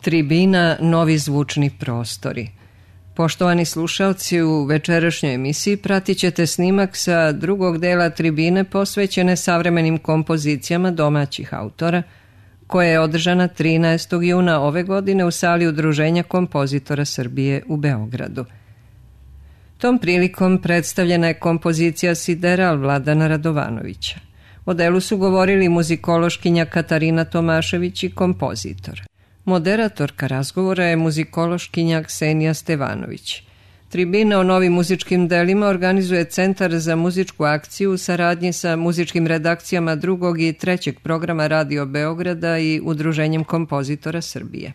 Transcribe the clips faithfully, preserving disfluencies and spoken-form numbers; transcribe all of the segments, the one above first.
Tribina Novi zvučni prostori. Poštovani slušalci, u večerašnjoj emisiji pratit ćete snimak sa drugog dela tribine posvećene savremenim kompozicijama domaćih autora, koja je održana trinaestog juna ove godine u sali Udruženja kompozitora Srbije u Beogradu. Tom prilikom predstavljena je kompozicija Sideral Vladana Radovanovića. O delu su govorili muzikološkinja Katarina Tomašević i kompozitor. Moderatorka razgovora je muzikološkinja Ksenija Stevanović. Tribina o novim muzičkim delima organizuje Centar za muzičku akciju u saradnji sa muzičkim redakcijama drugog i trećeg programa Radio Beograda i Udruženjem kompozitora Srbije.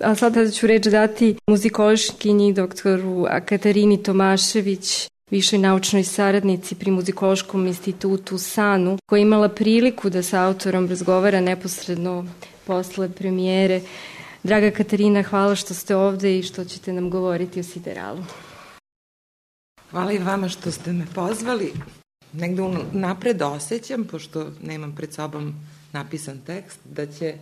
A sada ću reč dati muzikološkinji doktoru Katarini Tomašević, višoj naučnoj saradnici pri Muzikološkom institutu SANU, koja je imala priliku da sa autorom razgovara neposredno posle premijere. Draga Katarina, hvala što ste ovde i što ćete nam govoriti o Sideralu. Hvala i vama što ste me pozvali. Negde napred osjećam, pošto nemam pred sobom napisan tekst, da će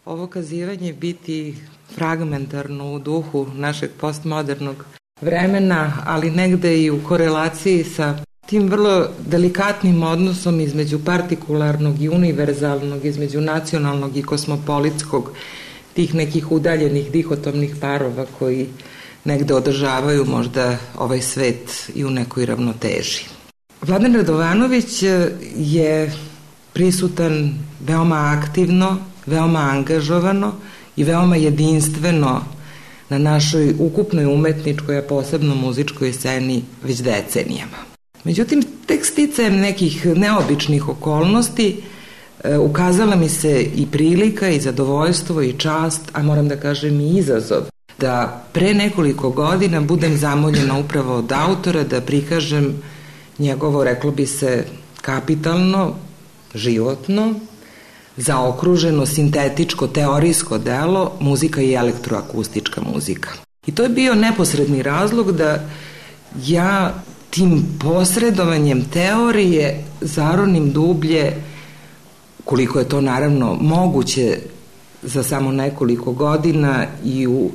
ovo kazivanje biti fragmentarno u duhu našeg postmodernog vremena, ali negde i u korelaciji sa tim vrlo delikatnim odnosom između partikularnog i univerzalnog, između nacionalnog i kosmopolitskog, tih nekih udaljenih dihotomnih parova koji negde održavaju možda ovaj svet i u nekoj ravnoteži. Vladan Radovanović je prisutan veoma aktivno, veoma angažovano i veoma jedinstveno na našoj ukupnoj umetničkoj, a posebno muzičkoj sceni već decenijama. Međutim, tek sticajem nekih neobičnih okolnosti e, ukazala mi se i prilika i zadovoljstvo i čast, a moram da kažem i izazov, da pre nekoliko godina budem zamoljena upravo od autora da prikažem njegovo, reklo bi se, kapitalno, životno, zaokruženo, sintetičko, teorijsko delo, muzika i elektroakustička muzika. I to je bio neposredni razlog da ja tim posredovanjem teorije zaronim dublje, koliko je to naravno moguće za samo nekoliko godina, i u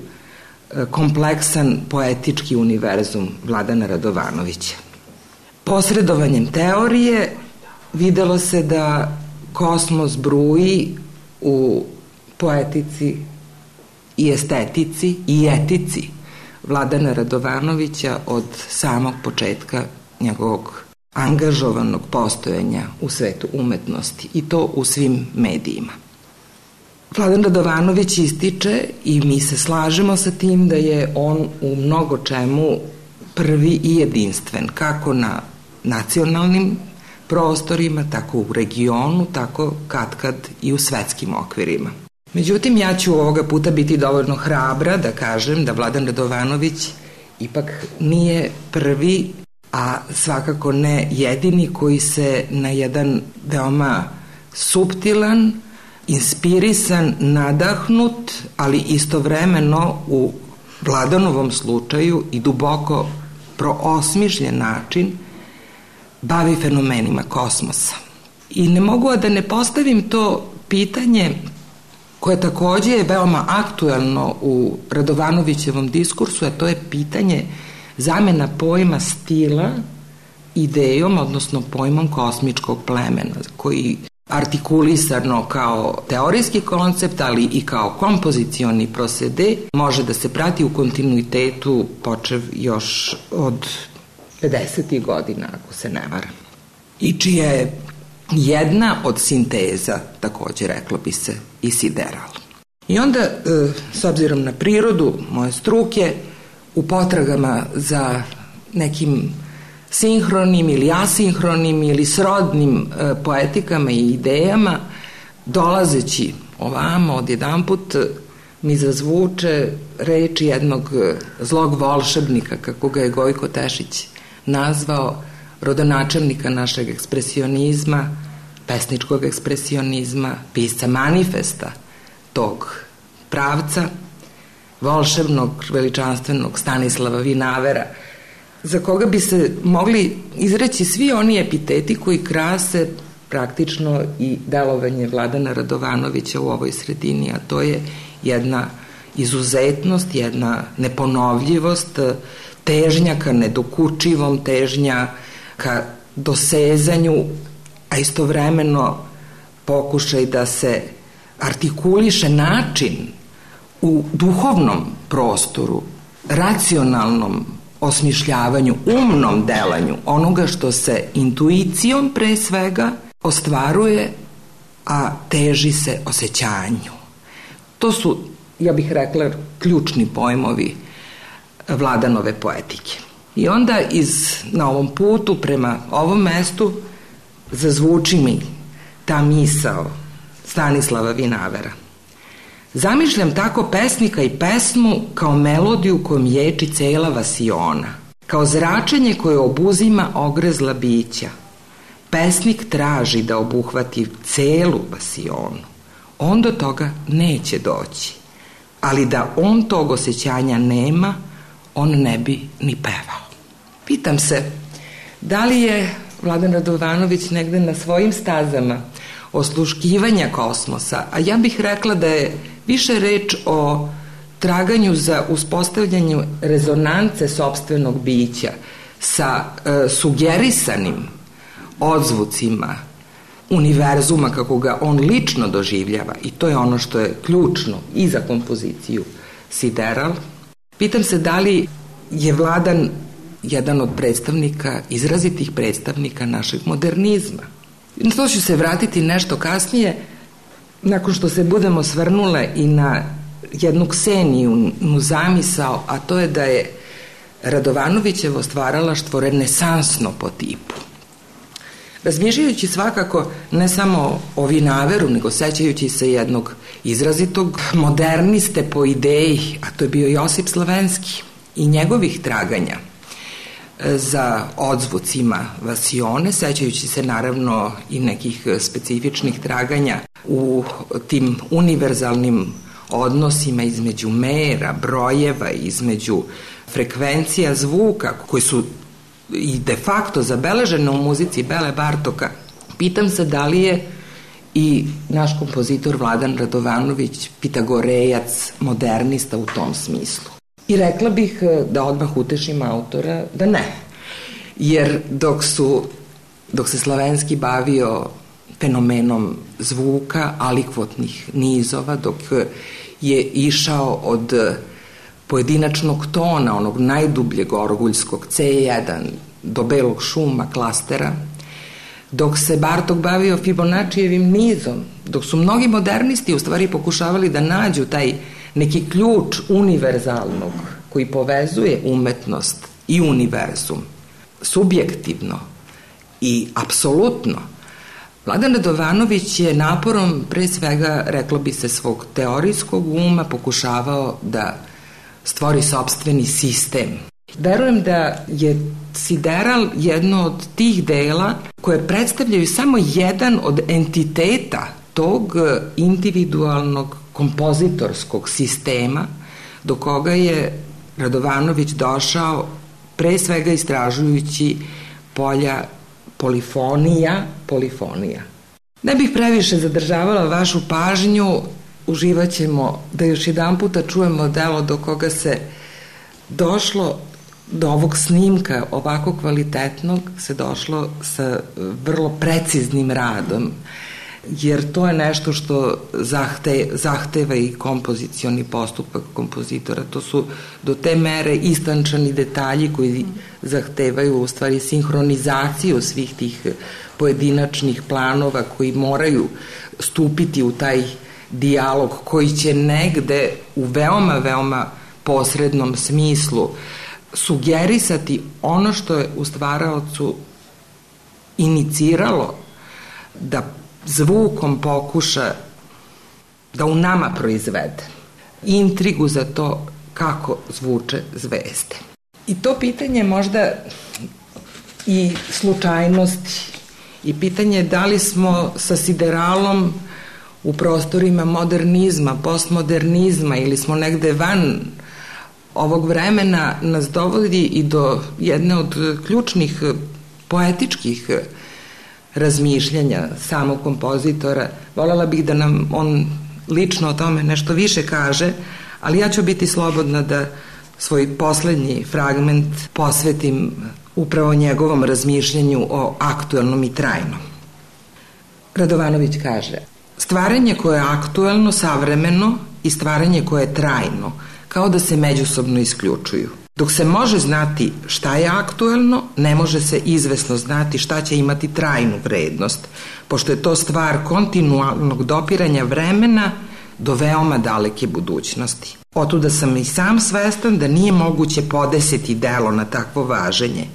kompleksan poetički univerzum Vladana Radovanovića. Posredovanjem teorije videlo se da kosmos bruji u poetici i estetici i etici Vladana Radovanovića od samog početka njegovog angažovanog postojanja u svetu umetnosti, i to u svim medijima. Vladan Radovanović ističe, i mi se slažemo sa tim, da je on u mnogo čemu prvi i jedinstven, kako na nacionalnim prostorima, tako u regionu, tako katkad i u svetskim okvirima. Međutim, ja ću ovoga puta biti dovoljno hrabra da kažem da Vladan Radovanović ipak nije prvi, a svakako ne jedini, koji se na jedan veoma suptilan, inspirisan, nadahnut, ali istovremeno u Vladanovom slučaju i duboko proosmišljen način bavi fenomenima kosmosa. I ne mogu a da ne postavim to pitanje, koje takođe je veoma aktuelno u Radovanovićevom diskursu, a to je pitanje zamena pojma stila idejom, odnosno pojmom kosmičkog plemena, koji artikulisano kao teorijski koncept, ali i kao kompozicioni procede, može da se prati u kontinuitetu počev još od pedesetih godina, ako se ne varam. I čija je jedna od sinteza, takođe reklo bi se, i Sideral. I onda, s obzirom na prirodu moje struke, u potragama za nekim sinhronim ili asinhronim ili srodnim poetikama i idejama, dolazeći ovamo odjedanput mi zazvuče reči jednog zlog volšebnika, kako ga je Gojko Tešić nazvao, rodonačelnika našeg ekspresionizma, pesničkog ekspresionizma, pisca manifesta tog pravca, volšebnog, veličanstvenog Stanislava Vinavera, za koga bi se mogli izreći svi oni epiteti koji krase praktično i delovanje Vladana Radovanovića u ovoj sredini, a to je jedna izuzetnost, jedna neponovljivost, težnja ka nedokučivom, težnja ka dosezanju, a istovremeno pokušaj da se artikuliše način u duhovnom prostoru, racionalnom osmišljavanju, umnom delanju onoga što se intuicijom pre svega ostvaruje, a teži se osjećanju. To su, ja bih rekla, ključni pojmovi Vladanove poetike. I onda iz, na ovom putu prema ovom mestu zazvuči mi ta misao Stanislava Vinavera. Zamišljam tako pesnika i pesmu kao melodiju kojom ječi cela vasiona, kao zračenje koje obuzima ogrezla bića. Pesnik traži da obuhvati celu vasionu. On do toga neće doći, ali da on tog osjećanja nema, on ne bi ni pevao. Pitam se, da li je Vladan Radovanović negde na svojim stazama osluškivanja kosmosa, a ja bih rekla da je više reč o traganju za uspostavljanju rezonance sopstvenog bića sa e, sugerisanim odzvucima univerzuma kako ga on lično doživljava, i to je ono što je ključno i za kompoziciju Sideral. Pitam se da li je Vladan jedan od predstavnika, izrazitih predstavnika našeg modernizma. Na to ću se vratiti nešto kasnije, nakon što se budemo svrnule i na jednu Kseniju zamisao, a to je da je Radovanovićevo stvaralaštvo renesansno po tipu. Razmišljajući svakako ne samo o Vinaveru, nego sećajući se jednog izrazitog moderniste po ideji, a to je bio Josip Slavenski, i njegovih traganja za odzvucima vasione, sećajući se naravno i nekih specifičnih traganja u tim univerzalnim odnosima između mera, brojeva, između frekvencija zvuka koji su i de facto zabeležene u muzici Bele Bartoka. Pitam se da li je i naš kompozitor Vladan Radovanović pitagorejac, modernista u tom smislu. I rekla bih, da odmah utešim autora, da ne. Jer dok su, dok se Slavenski bavio fenomenom zvuka, alikvotnih nizova, dok je išao od pojedinačnog tona, onog najdubljeg orguljskog ce jedan do belog šuma, klastera, dok se Bartok bavio Fibonaccijevim nizom, dok su mnogi modernisti u stvari pokušavali da nađu taj neki ključ univerzalnog koji povezuje umetnost i univerzum, subjektivno i apsolutno, Vladan Radovanović je naporom, pre svega, reklo bi se, svog teorijskog uma pokušavao da stvori sopstveni sistem. Verujem da je Sideral jedno od tih dela koje predstavljaju samo jedan od entiteta tog individualnog kompozitorskog sistema do koga je Radovanović došao pre svega istražujući polja polifonija, polifonija. Ne bih previše zadržavala vašu pažnju, uživat ćemo da još jedan puta čujemo delo do koga se došlo, do ovog snimka ovako kvalitetnog se došlo sa vrlo preciznim radom, jer to je nešto što zahte, zahteva i kompozicioni postupak kompozitora. To su do te mere istančani detalji koji zahtevaju u stvari sinhronizaciju svih tih pojedinačnih planova koji moraju stupiti u taj dijalog koji će negde u veoma, veoma posrednom smislu sugerisati ono što je u stvaraocu iniciralo da zvukom pokuša da u nama proizvede intrigu za to kako zvuče zvezde. I to pitanje možda i slučajnosti i pitanje da li smo sa Sideralom u prostorima modernizma, postmodernizma ili smo negde van ovog vremena nas dovodi i do jedne od ključnih poetičkih razmišljanja samog kompozitora. Voljela bih da nam on lično o tome nešto više kaže, ali ja ću biti slobodna da svoj poslednji fragment posvetim upravo njegovom razmišljanju o aktuelnom i trajnom. Radovanović kaže: stvaranje koje je aktuelno, savremeno i stvaranje koje je trajno, kao da se međusobno isključuju. Dok se može znati šta je aktuelno, ne može se izvesno znati šta će imati trajnu vrednost, pošto je to stvar kontinualnog dopiranja vremena do veoma daleke budućnosti. Otuda sam i sam svestan da nije moguće podesiti delo na takvo važenje.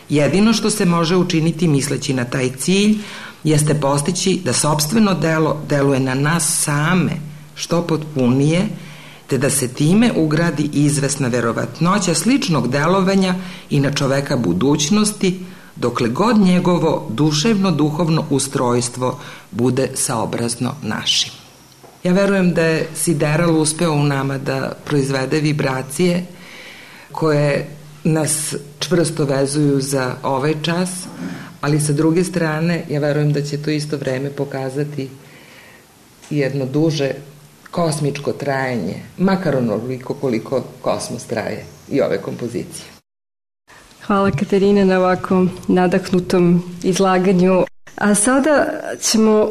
Jedino što se može učiniti misleći na taj cilj jeste postići da sopstveno delo deluje na nas same što potpunije, te da se time ugradi izvesna verovatnoća sličnog delovanja i na čoveka budućnosti, dokle god njegovo duševno-duhovno ustrojstvo bude saobrazno našim. Ja verujem da je Sideral uspeo u nama da proizvede vibracije koje nas čvrsto vezuju za ovaj čas, ali sa druge strane ja verujem da će to isto vreme pokazati jedno duže kosmičko trajanje, makar onoliko koliko kosmos traje i ove kompozicije. Hvala Katarina na ovako nadahnutom izlaganju. A sada ćemo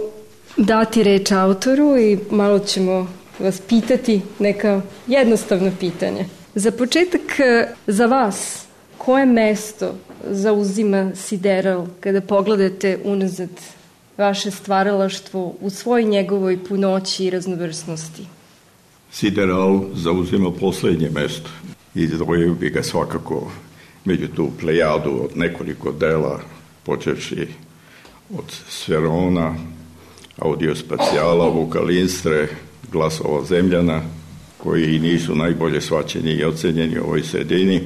dati reč autoru i malo ćemo vas pitati neka jednostavna pitanja. Za početak, za vas, koje mesto zauzima Sideral kada pogledate unazad vaše stvaralaštvo u svoj njegovoj punoći i raznovrsnosti? Sideral zauzima poslednje mesto. Izdvojio bi ga svakako među tu plejadu od nekoliko dela, počevši od Sferona, Audiospacijala, Vokalinstre, Glasova Zemljana, koji nisu najbolje shvaćeni i ocenjeni u ovoj sredini.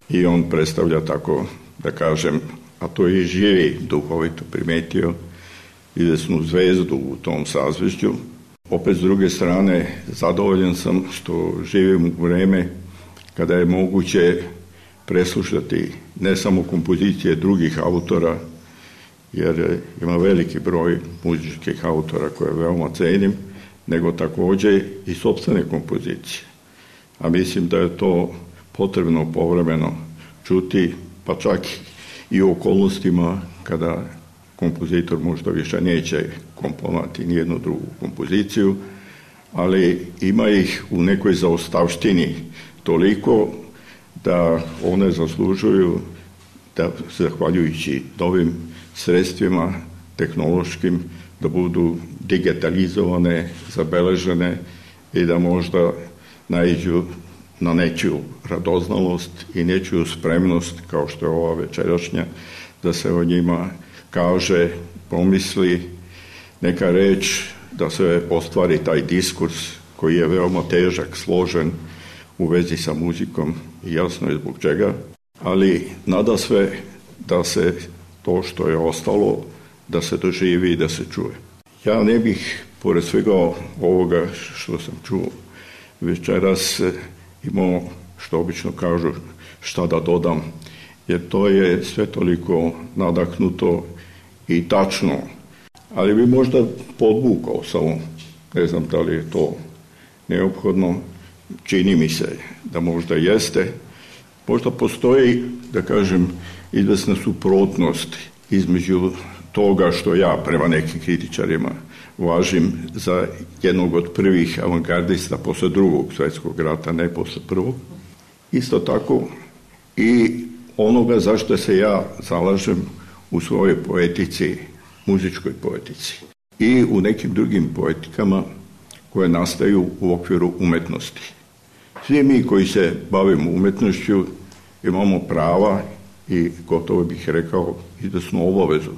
I on predstavlja, tako da kažem, a to je i živi duhovito primetio, izvesnu zvezdu u tom sazvežđu. Opet s druge strane, zadovoljan sam što živim u vreme kada je moguće preslušati ne samo kompozicije drugih autora, jer ima veliki broj muzičkih autora koje veoma cenim, nego takođe i sopstvene kompozicije. A mislim da je to potrebno povremeno čuti, pa čak i u okolnostima kada kompozitor možda više neće komponovati nijednu drugu kompoziciju, ali ima ih u nekoj zaostavštini toliko da one zaslužuju da, zahvaljujući novim sredstvima tehnološkim, da budu digitalizovane, zabeležene i da možda naiđu na nečiju radoznalost i nečiju spremnost, kao što je ova večerašnja, da se o njima kaže, pomisli neka reč, da se ostvari taj diskurs koji je veoma težak, složen u vezi sa muzikom i jasno je zbog čega, ali nada sve da se to što je ostalo, da se doživi i da se čuje. Ja ne bih, pored svega ovoga što sam čuo večeras, imao, što obično kažu, šta da dodam, jer to je sve toliko nadahnuto i tačno, ali bi možda podvukao samo, ne znam da li je to neophodno, čini mi se da možda jeste, možda postoji, da kažem, izvesna suprotnost između toga što ja prema nekim kritičarima važim za jednog od prvih avangardista posle drugog svjetskog rata, ne posle prvog. Isto tako i onoga zašto se ja zalažem u svojoj poetici, muzičkoj poetici i u nekim drugim poetikama koje nastaju u okviru umetnosti. Svi mi koji se bavimo umetnošću imamo prava i gotovo bih rekao izvesnu obavezu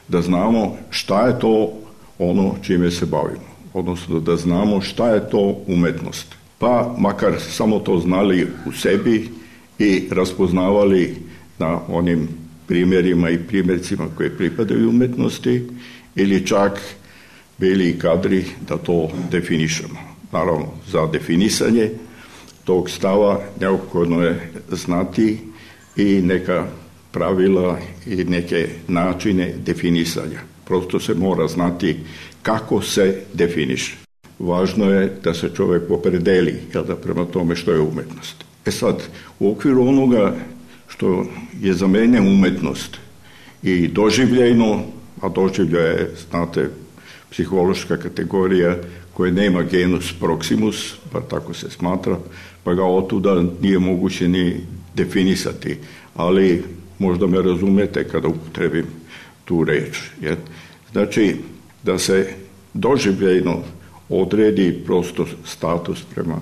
da znamo šta je to ono čime se bavimo, odnosno da znamo šta je to umetnost. Pa makar samo to znali u sebi i raspoznavali na onim primjerima i primjercima koje pripadaju umetnosti ili čak bili kadri da to definišemo. Naravno, za definisanje tog stava neophodno je znati i neka pravila i neke načine definisanja. prosto se mora znati kako se definiše. Važno je da se čovjek opredeli, jel da, prema tome što je umetnost. E sad, u okviru onoga što je za mene umetnost i doživljajno, a doživlja je, znate, psihološka kategorija koja nema genus proximus, pa tako se smatra, pa ga otuda nije moguće ni definisati, ali možda me razumete kada upotrebim tu reč. Jer, znači, da se doživljajno odredi prosto status prema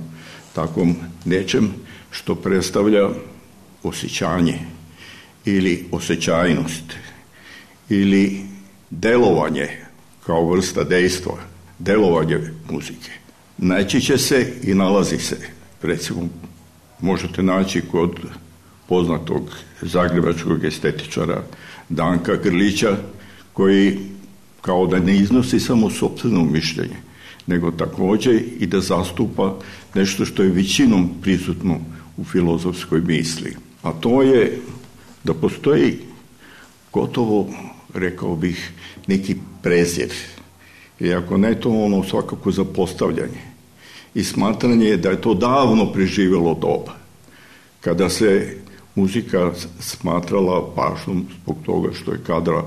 takvom nečem što predstavlja osjećanje ili osjećajnost ili delovanje kao vrsta dejstva, delovanje muzike. Najčešće se i nalazi se, recimo, možete naći kod poznatog zagrebačkog estetičara Danka Grlića, koji kao da ne iznosi samo sopstveno mišljenje, nego također i da zastupa nešto što je većinom prisutno u filozofskoj misli. A to je da postoji gotovo, rekao bih, neki prezir. I ako ne to, ono svakako zapostavljanje. I smatranje da je to davno preživjelo doba. Kada se muzika smatrala važnom zbog toga što je kadra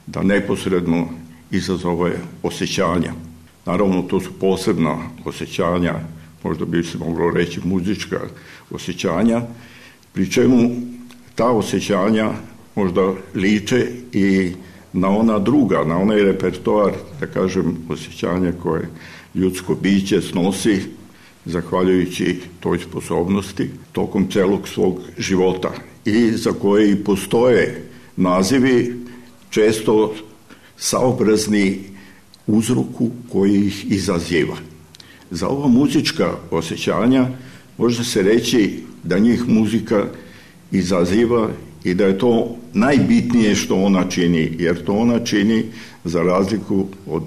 da neposredno izazove osjećanja. Naravno, to su posebna osjećanja, možda bi se moglo reći muzička osjećanja, pri čemu ta osjećanja možda liče i na ona druga, na onaj repertoar, da kažem, osjećanja koje ljudsko biće snosi zahvaljujući toj sposobnosti tokom celog svog života i za koje i postoje nazivi često saobrazni uzroku koji ih izaziva. Za ova muzička osjećanja može se reći da njih muzika izaziva i da je to najbitnije što ona čini, jer to ona čini za razliku od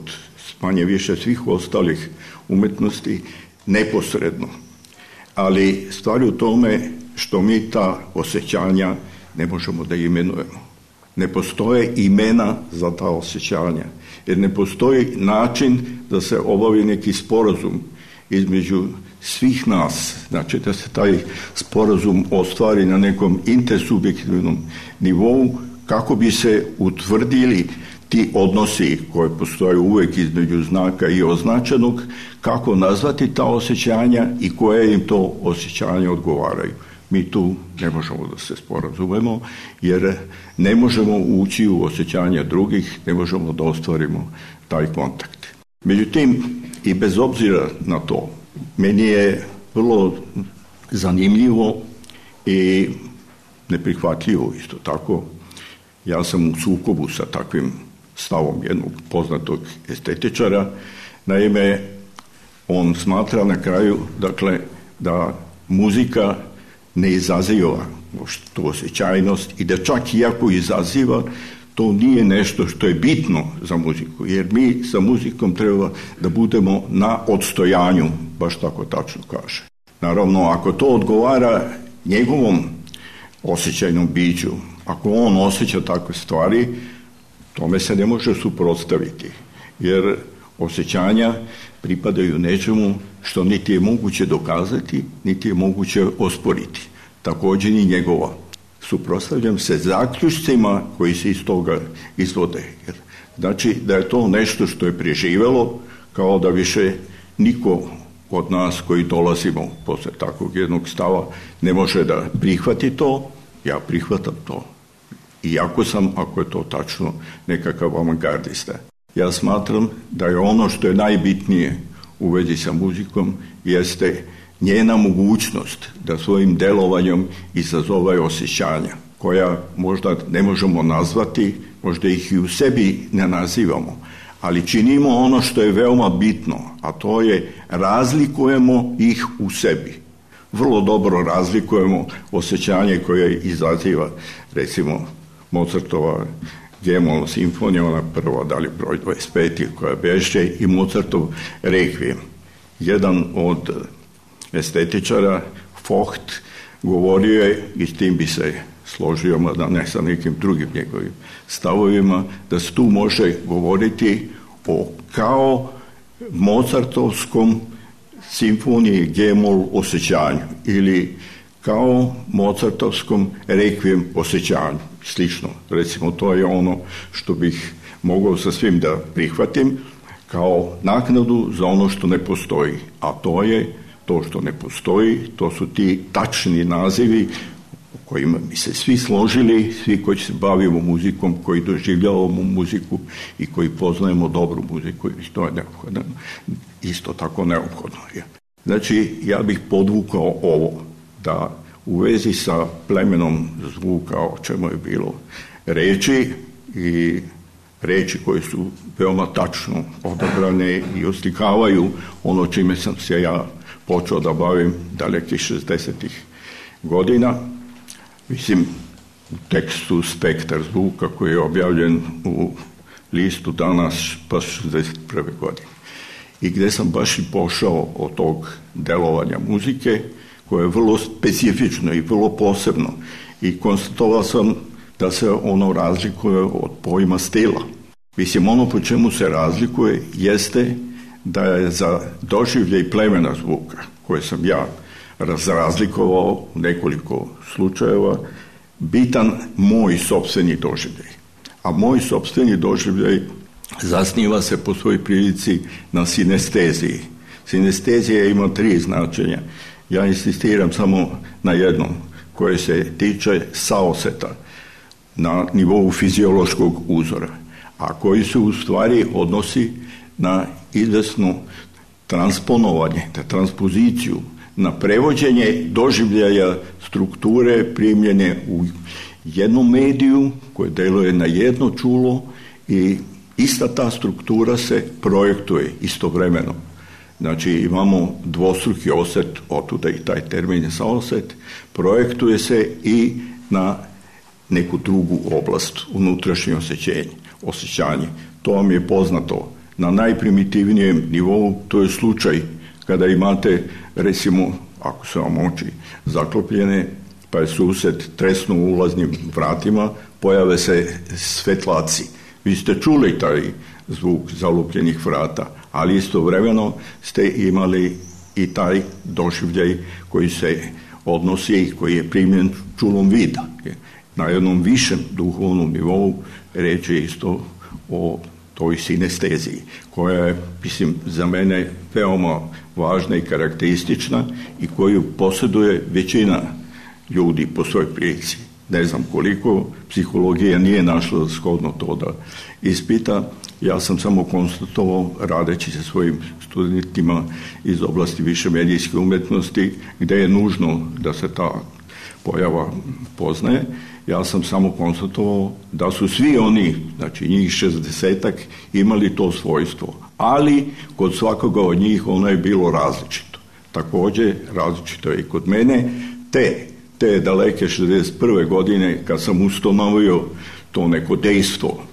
manje više svih ostalih umetnosti neposredno. Ali stvar je u tome što mi ta osjećanja ne možemo da imenujemo. Ne postoje imena za ta osjećanja, jer ne postoji način da se obavi neki sporazum između svih nas, znači da se taj sporazum ostvari na nekom intersubjektivnom nivou kako bi se utvrdili ti odnosi koji postoje uvijek između znaka i označenog, kako nazvati ta osjećanja i koje im to osjećanja odgovaraju. Mi tu ne možemo da se sporazumemo, jer ne možemo ući u osjećanja drugih, ne možemo da ostvarimo taj kontakt. Međutim, i bez obzira na to, meni je vrlo zanimljivo i neprihvatljivo isto tako. Ja sam u sukobu sa takvim stavom jednog poznatog estetičara. Naime, on smatra na kraju, dakle, da muzika ne izaziva tu osjećajnost i da čak i ako izaziva, to nije nešto što je bitno za muziku, jer mi sa muzikom treba da budemo na odstojanju, baš tako tačno kaže. Naravno, ako to odgovara njegovom osjećajnom biću, ako on osjeća takve stvari, tome se ne može suprotstaviti, jer osjećanja pripadaju nečemu što niti je moguće dokazati, niti je moguće osporiti. Također i njegova. Suprotstavljam se zaključcima koji se iz toga izvode. Znači da je to nešto što je preživelo, kao da više niko od nas koji dolazimo posle takvog jednog stava ne može da prihvati to. Ja prihvatam to. Iako sam, ako je to tačno, nekakav avangardista. Ja smatram da je ono što je najbitnije u vezi sa muzikom jeste njena mogućnost da svojim delovanjem izazove osjećanja, koja možda ne možemo nazvati, možda ih i u sebi ne nazivamo, ali činimo ono što je veoma bitno, a to je razlikujemo ih u sebi. Vrlo dobro razlikujemo osjećanje koje izaziva, recimo, Mozartova G-mol simfonija, ona prva, da li broj dvadeset pet koja beše, i Mozartov Requiem. Jedan od estetičara, Vogt, govorio je, i s tim bi se složio, da ne sa nekim drugim njegovim stavovima, da se tu može govoriti o kao Mozartovskom simfoniji G-mol osjećanju ili kao Mozartovskom rekvijem osjećanju. Slično, recimo, to je ono što bih mogao sa svim da prihvatim kao naknadu za ono što ne postoji. A to je to što ne postoji, to su ti tačni nazivi u kojima mi se svi složili, svi koji se bavimo muzikom, koji doživljavamo muziku i koji poznajemo dobru muziku, i to je neophodno, isto tako neophodno je. Znači, ja bih podvukao ovo, da u vezi sa plemenom zvuka, o čemu je bilo reči, i reči koje su veoma tačno odabrane i oslikavaju ono čime sam se ja počeo da bavim dalekih šezdesetih godina. Mislim, u tekstu Spektar zvuka koji je objavljen u listu Danas pa šezdeset prve godine. I gde sam baš i pošao od tog delovanja muzike, koje je vrlo specifično i vrlo posebno. I konstatovao sam da se ono razlikuje od pojma stila. Mislim, ono po čemu se razlikuje jeste da je za doživljaj plemena zvuka, koje sam ja razlikovao u nekoliko slučajeva, bitan moj sopstveni doživljaj. A moj sopstveni doživljaj zasniva se po svojoj prilici na sinesteziji. Sinestezija ima tri značenja. Ja insistiram samo na jednom, koje se tiče saoseta na nivou fiziološkog uzora, a koji se u stvari odnosi na izvesno transponovanje, na transpoziciju, na prevođenje doživljaja strukture primljene u jednom mediju koje deluje na jedno čulo i ista ta struktura se projektuje istovremeno. Znači, imamo dvostruki oset, otuda i taj termin je saoset, projektuje se i na neku drugu oblast, unutrašnje osjećanje, osjećanje. To vam je poznato na najprimitivnijem nivou, to je slučaj kada imate, recimo, ako su vam oči zaklopljene, pa je sused tresnu u ulaznim vratima, pojave se svetlaci. Vi ste čuli taj zvuk zalupljenih vrata, ali istovremeno ste imali i taj doživljaj koji se odnosi i koji je primjen čulom vida. Na jednom višem duhovnom nivou reći je isto o toj sinesteziji, koja je, mislim, za mene veoma važna i karakteristična i koju posjeduje većina ljudi po svojoj prilici. Ne znam koliko, psihologija nije našla shodno to da ispita. Ja sam samo konstatovao, radeći sa svojim studentima iz oblasti više medijske umetnosti, gde je nužno da se ta pojava poznaje, ja sam samo konstatovao da su svi oni, znači njih šezdesetak, imali to svojstvo. Ali kod svakoga od njih ono je bilo različito. Također različito je i kod mene. Te, te daleke šezdeset prve godine, kad sam ustanovio to neko dejstvo,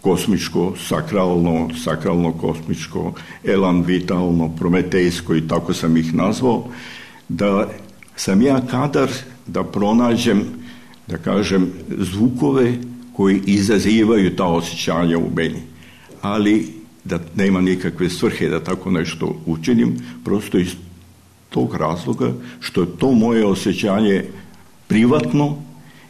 kosmičko, sakralno, sakralno-kosmičko, elan vitalno, prometejsko i tako sam ih nazvao, da sam ja kadar da pronađem, da kažem, zvukove koji izazivaju ta osjećanja u meni. Ali da nema nikakve svrhe da tako nešto učinim, prosto iz tog razloga što je to moje osjećanje privatno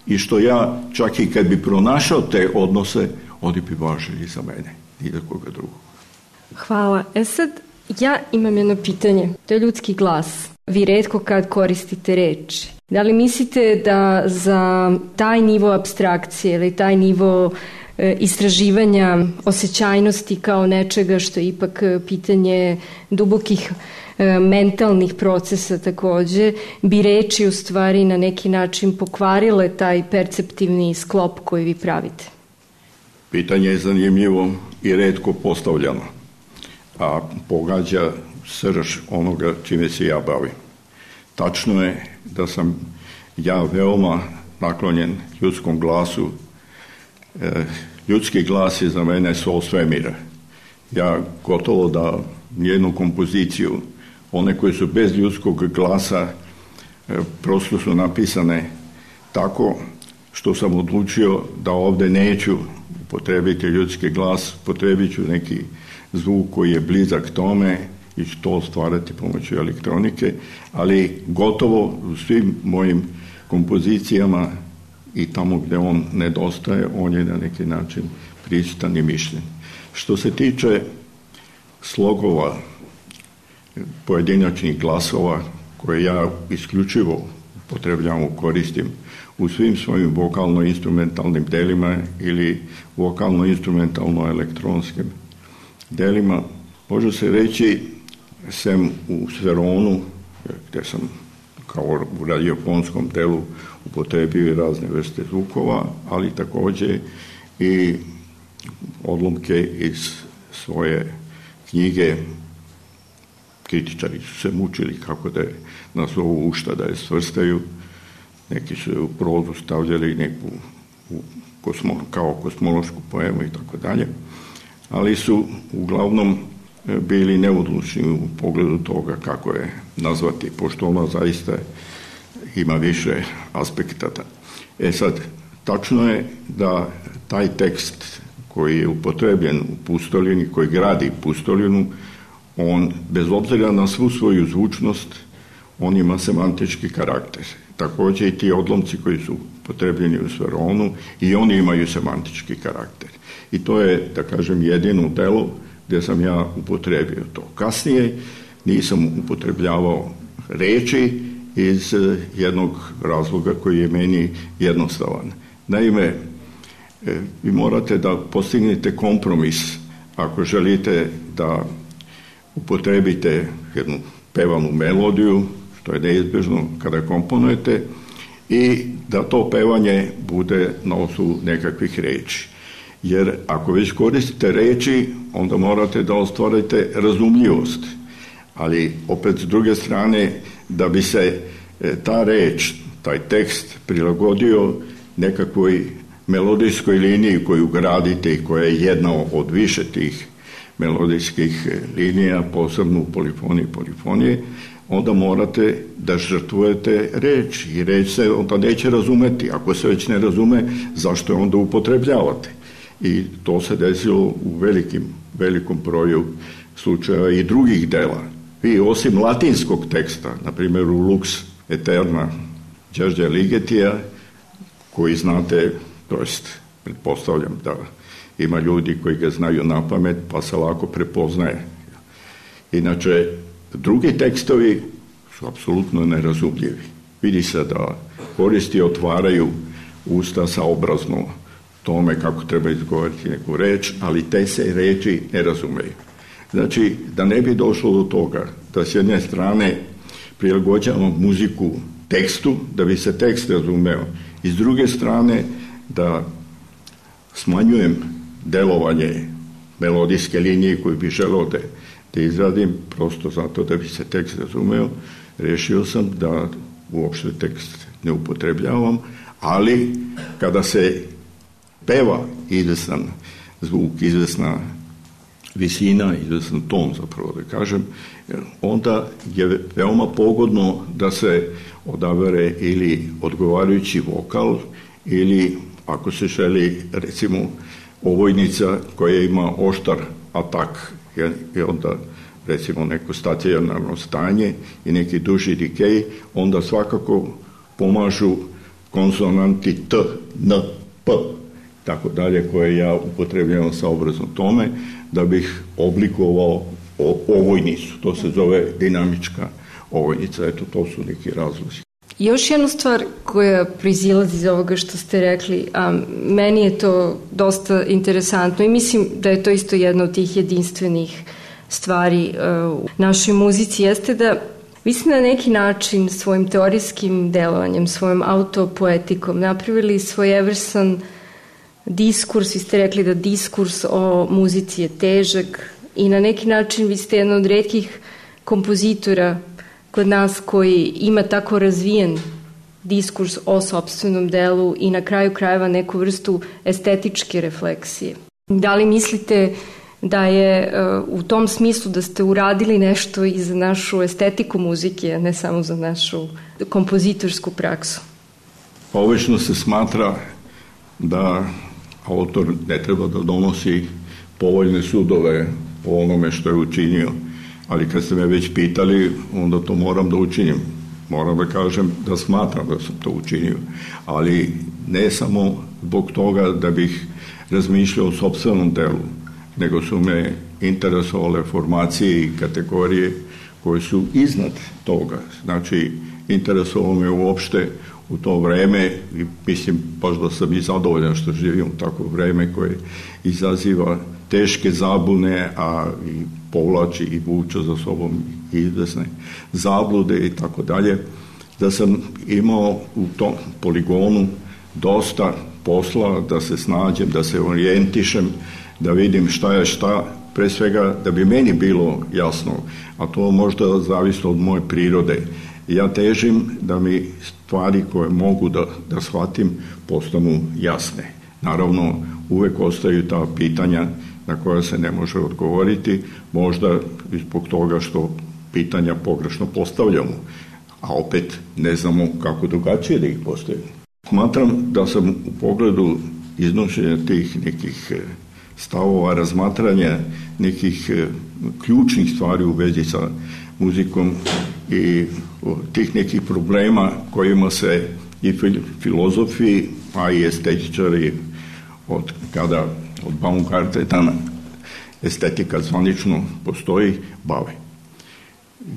i što ja čak i kad bi pronašao te odnose, oni bi važili za mene, ni za koga drugog. Hvala. E sad, ja imam jedno pitanje. To je ljudski glas. Vi retko kad koristite reči. Da li mislite da za taj nivo apstrakcije ili taj nivo e, istraživanja osjećajnosti kao nečega što je ipak pitanje dubokih e, mentalnih procesa takođe, bi reči u stvari na neki način pokvarile taj perceptivni sklop koji vi pravite? Pitanje je zanimljivo i retko postavljano, a pogađa srž onoga čime se ja bavim. Tačno je da sam ja veoma naklonjen ljudskom glasu. E, ljudski glas je za mene sol svemira. Ja gotovo da nijednu kompoziciju, one koje su bez ljudskog glasa, e, prosto su napisane tako što sam odlučio da ovde neću upotrebiti ljudski glas, upotrebit ću neki zvuk koji je blizak tome i ću to stvarati pomoću elektronike, ali gotovo u svim mojim kompozicijama i tamo gde on nedostaje, on je na neki način prisutan i mišljen. Što se tiče slogova, pojedinačnih glasova koje ja isključivo upotrebljavam, koristim u svim svojim vokalno-instrumentalnim delima ili vokalno-instrumentalno-elektronskim delima, može se reći, sem u Sveronu, gde sam kao u radiofonskom delu upotrebio razne vrste zvukova, ali takođe i odlomke iz svoje knjige. Kritičari su se mučili kako da je nazovu, u šta da je svrstaju. Neki su u prozu stavljali neku u kosmo, kao kosmološku poemu i tako dalje, ali su uglavnom bili neodlučni u pogledu toga kako je nazvati, pošto ona zaista ima više aspekta. E sad, tačno je da taj tekst koji je upotrebljen u Pustolini, koji gradi Pustolinu, on, bez obzira na svu svoju zvučnost, on ima semantički karakter. Takođe i ti odlomci koji su upotrebljeni u Sveronu, i oni imaju semantički karakter. I to je, da kažem, jedino delo gde sam ja upotrebio to. Kasnije nisam upotrebljavao reči iz jednog razloga koji je meni jednostavan. Naime, vi morate da postignete kompromis ako želite da upotrebite jednu pevanu melodiju, što je neizbežno kada komponujete, i da to pevanje bude na osnovu nekakvih reči. Jer ako već koristite reči, onda morate da ostvarite razumljivost. Ali opet s druge strane, da bi se ta reč, taj tekst prilagodio nekakvoj melodijskoj liniji koju gradite i koja je jedna od više tih melodijskih linija, posebno u polifoniji i polifonije, onda morate da žrtvujete reč i reč se onda neće razumeti. Ako se već ne razume, zašto je onda upotrebljavate? I to se desilo u velikim, velikom broju slučajeva i drugih dela. Vi osim latinskog teksta, na primjer u Lux Eterna Đerđa Ligetija, koji znate, to jest pretpostavljam da ima ljudi koji ga znaju na pamet, pa se lako prepoznaje. Inače, drugi tekstovi su apsolutno nerazumljivi. Vidi se da koristi otvaraju usta saobrazno tome kako treba izgovoriti neku reč, ali te se reči ne razumeju. Znači, da ne bi došlo do toga da s jedne strane prilagođavamo muziku tekstu, da bi se tekst razumeo, i s druge strane da smanjujem delovanje melodijske linije koju bi želeo da, da izradim, prosto zato da bi se tekst razumeo, rešio sam da uopšte tekst ne upotrebljavam, ali kada se peva izvestan zvuk, izvesna visina, izvestan ton, zapravo da kažem, onda je veoma pogodno da se odabere ili odgovarajući vokal, ili ako se želi, recimo, ovojnica koja ima oštar atak, i onda recimo neko stacionarno stanje i neki duži dikej, onda svakako pomažu konsonanti T, N, P, tako dalje, koje ja upotrebljavam saobrazno tome, da bih oblikovao ovojnicu. To se zove dinamička ovojnica. Eto, to su neki razlozi. Još jednu stvar koja proizilazi iz ovoga što ste rekli, a meni je to dosta interesantno i mislim da je to isto jedna od tih jedinstvenih stvari u našoj muzici, jeste da vi ste na neki način svojim teorijskim delovanjem, svojom autopoetikom napravili svojevrsan diskurs. Vi ste rekli da diskurs o muzici je težak i na neki način vi ste jedna od retkih kompozitora kod nas koji ima tako razvijen diskurs o sopstvenom delu i na kraju krajeva neku vrstu estetičke refleksije. Da li mislite da je uh, u tom smislu da ste uradili nešto i za našu estetiku muzike, a ne samo za našu kompozitorsku praksu? Obično se smatra da autor ne treba da donosi povoljne sudove o onome što je učinio, ali kad ste me već pitali, onda to moram da učinim. Moram da kažem da smatram da sam to učinio, ali ne samo zbog toga da bih razmišljao o sopstvenom delu, nego su me interesovale formacije i kategorije koje su iznad toga. Znači, interesovalo me uopšte u to vreme i mislim baš da sam i zadovoljan što živim u takvo vreme koje izaziva teške zabune, a i povlači i vuče za sobom izvesne zablude i tako dalje, da sam imao u tom poligonu dosta posla, da se snađem, da se orijentišem, da vidim šta je šta, pre svega da bi meni bilo jasno, a to možda zavisi od moje prirode. Ja težim da mi stvari koje mogu da, da shvatim postanu jasne. Naravno, uvek ostaju ta pitanja na koja se ne može odgovoriti, možda zbog toga što pitanja pogrešno postavljamo, a opet ne znamo kako drugačije da ih postavimo. Smatram da sam u pogledu iznošenja tih nekih stavova, razmatranja nekih ključnih stvari u vezi sa muzikom i tih nekih problema kojima se i filozofi, a i estetičari od kada od Baumgarta dana estetika zvanično postoji, bave.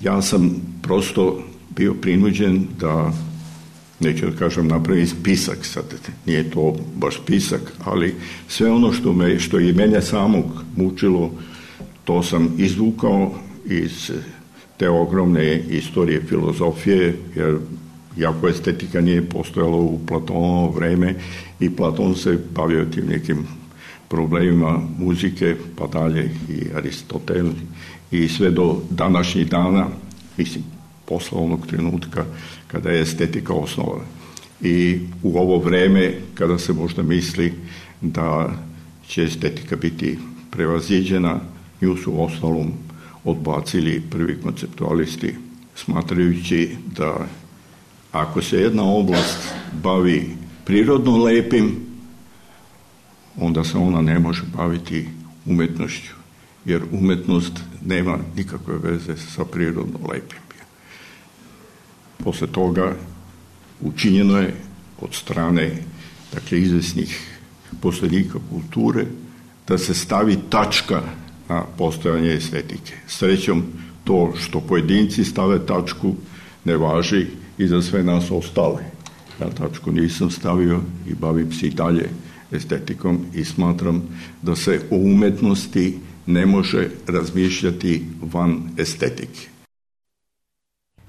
Ja sam prosto bio prinuđen da, neću da kažem, napravim spisak, sad nije to baš spisak, ali sve ono što, me, što je mene samog mučilo, to sam izvukao iz te ogromne istorije filozofije, jer jako estetika nije postojala u Platonovo vreme i Platon se bavio tim nekim problemima muzike, pa dalje i Aristotel i sve do današnjih dana, mislim, posle onog trenutka kada je estetika osnovana. I u ovo vreme kada se možda misli da će estetika biti prevaziđena, nju su u ostalom odbacili prvi konceptualisti, smatrajući da ako se jedna oblast bavi prirodno lepim, onda se ona ne može baviti umetnošću, jer umetnost nema nikakve veze sa prirodno lepim. Posle toga učinjeno je od strane, dakle, izvesnih poslednika kulture da se stavi tačka na postojanje estetike. Srećom, to što pojedinci stave tačku ne važi i za sve nas ostale. Ja tačku nisam stavio i bavim se i dalje estetikom i smatram da se o umetnosti ne može razmišljati van estetike.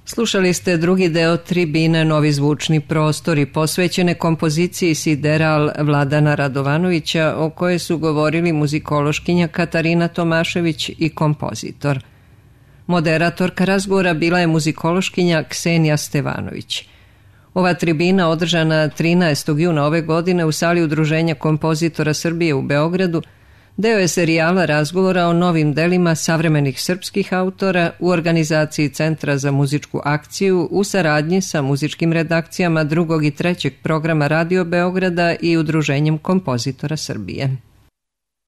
Slušali ste drugi deo tribine Novi zvučni prostori posvećene kompoziciji Sideral Vladana Radovanovića, o kojoj su govorili muzikološkinja Katarina Tomašević i kompozitor. Moderatorka razgovora bila je muzikološkinja Ksenija Stevanović. Ova tribina, održana trinaestog juna ove godine u sali Udruženja kompozitora Srbije u Beogradu, deo je serijala razgovora o novim delima savremenih srpskih autora u organizaciji Centra za muzičku akciju u saradnji sa muzičkim redakcijama drugog i trećeg programa Radio Beograda i Udruženjem kompozitora Srbije.